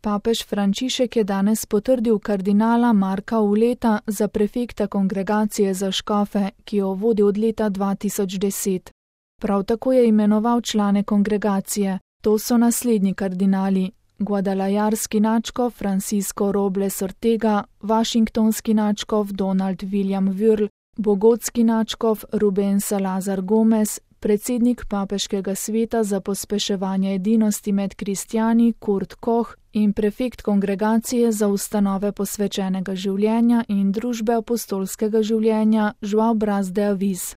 Papež Frančišek je danes potrdil kardinala Marka Uleta za prefekta Kongregacije za škofe, ki jo vodi od leta 2010. Prav tako je imenoval člane kongregacije. To so naslednji kardinali: guadalajarski nadškof Francisco Robles Ortega, washingtonski nadškof Donald William Wörl, bogotski nadškof Ruben Salazar Gomez, predsednik papeškega sveta za pospeševanje edinosti med kristjani Kurt Koch in prefekt Kongregacije za ustanove posvečenega življenja in družbe apostolskega življenja Joao Braz de Aviz.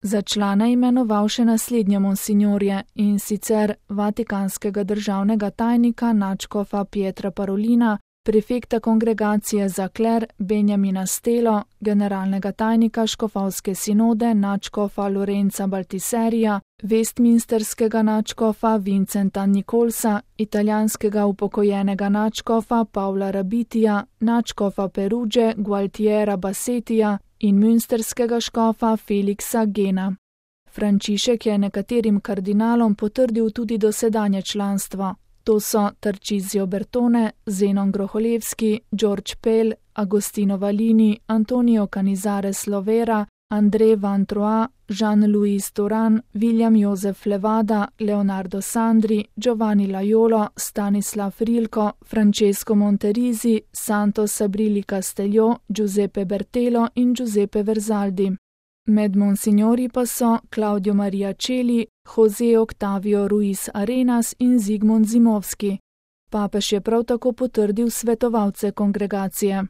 Za člana imenoval še naslednje monsinjorje, in sicer vatikanskega državnega tajnika nadškofa Pietra Parolina, prefekta Kongregacije za kler Benjamina Stelo, generalnega tajnika škofovske sinode nadškofa Lorenza Baltiserija, westminsterskega nadškofa Vincenta Nicolsa, italijanskega upokojenega nadškofa Paula Rabitija, nadškofa Peruge Gualtiera Bassetija in münsterskega škofa Felixa Gena. Frančišek je nekaterim kardinalom potrdil tudi dosedanje članstvo. To so Tarcisio Bertone, Zenon Groholevski, George Pell, Agostino Valini, Antonio Canizares Lovera, André Van Troyes, Jean-Louis Turan, William Josef Levada, Leonardo Sandri, Giovanni Laiolo, Stanislav Rilko, Francesco Monterisi, Santos Sabrilli Castelló, Giuseppe Bertelo in Giuseppe Verzaldi. Med monsinjori pa so Claudio Maria Celi, José Octavio Ruiz Arenas in Zigmund Zimovski. Papež je prav tako potrdil svetovalce kongregacije.